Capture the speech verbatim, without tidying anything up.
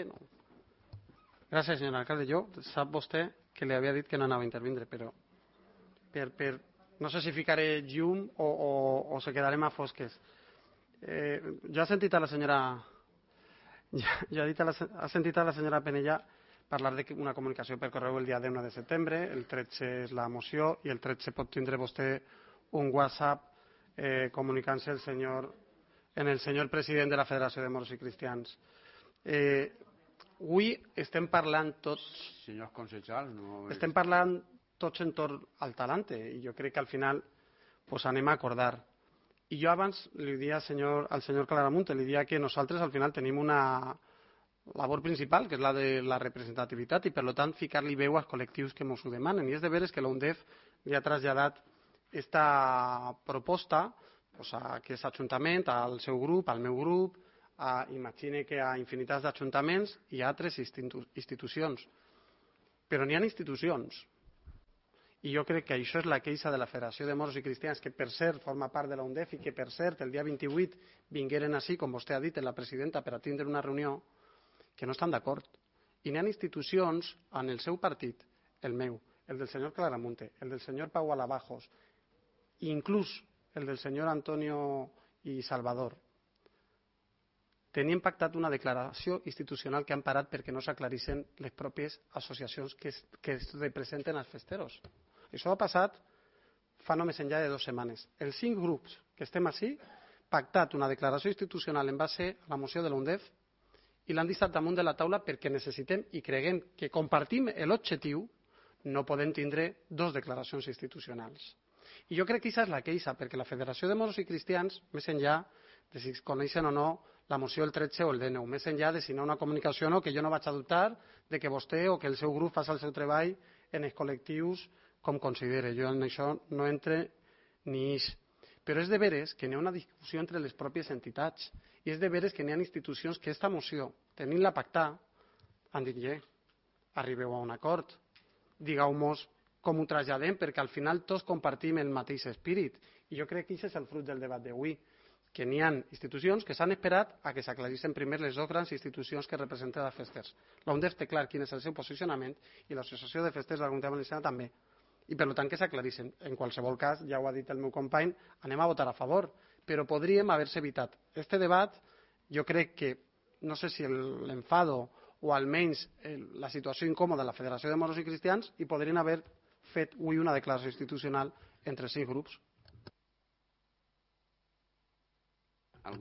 que no. Gràcies, senyor alcalde. Jo, sap vostè que li havia dit que no anava a intervindre, però per, per, no sé si ficaré llum o, o, o se quedarem a fosques. Eh, jo he sentit a la senyora ja, ja ha, dit a la, ha sentit a la senyora Penella parlar d'una comunicació per correu el dia deu de setembre, el tretze és la moció i el tretze pot tindre vostè un WhatsApp eh, comunicant-se el senyor, en el senyor president de la Federació de Moros i Cristians. Eh, avui estem parlant tots... Senyors consellers, no... Estem parlant tots entorn al talante i jo crec que al final pues, anem a acordar. I jo abans li dia al senyor, al senyor Claramunt, li dia que nosaltres al final tenim una labor principal, que és la de la representativitat, i per tant ficar-li veu als col·lectius que ens ho demanen. I és de veres que l'UNDEF li ha traslladat aquesta proposta pues, a aquest ajuntament, al seu grup, al meu grup, a, imagine que a infinitats d'ajuntaments i a altres institu institucions. Però n'hi ha institucions. I jo crec que això és la queixa de la Federació de Moros i Cristians, que per cert forma part de la UNDEF i que per cert el dia vint-i-vuit vingueren així, com vostè ha dit, en la presidenta per a tindre una reunió, que no estan d'acord. I n'hi ha institucions en el seu partit, el meu, el del senyor Claramunte, el del senyor Pau Alabajos, i inclús el del senyor Antonio i Salvador, tenien pactat una declaració institucional que han parat perquè no s'aclarissin les pròpies associacions que es, que es representen als festeros. Això ha passat fa només enllà de dues setmanes. Els cinc grups que estem així pactat una declaració institucional en base a la moció de l'UNDEF i l'han deixat damunt de la taula perquè necessitem i creguem que compartim l'objectiu, no podem tindre dos declaracions institucionals. I jo crec que aquesta és la queixa, perquè la Federació de Moros i Cristians, més enllà de si coneixen o no la moció del tretze o el dinou, més enllà de si no una comunicació o no, que jo no vaig a dubtar de que vostè o que el seu grup faci el seu treball en els col·lectius com considere. Jo en això no entre ni ix. Però és de veres que n'hi ha una discussió entre les pròpies entitats i és de veres que n'hi ha institucions que aquesta moció, tenint-la pactar, han dit, yeah, arribeu a un acord, digueu-nos com ho traslladem, perquè al final tots compartim el mateix espírit. I jo crec que aquest és el fruit del debat d'avui, que n'hi ha institucions que s'han esperat a que s'aclarissin primer les dues grans institucions que representen els festers. La UNDEF té clar quin és el seu posicionament i l'Associació de Festers de la Comunitat Valenciana també. I per tant que s'aclarissin. En qualsevol cas, ja ho ha dit el meu company, anem a votar a favor, però podríem haver-se evitat. Este debat, jo crec que, no sé si l'enfado o almenys la situació incòmoda de la Federació de Moros i Cristians, i podrien haver fet avui una declaració institucional entre cinc grups.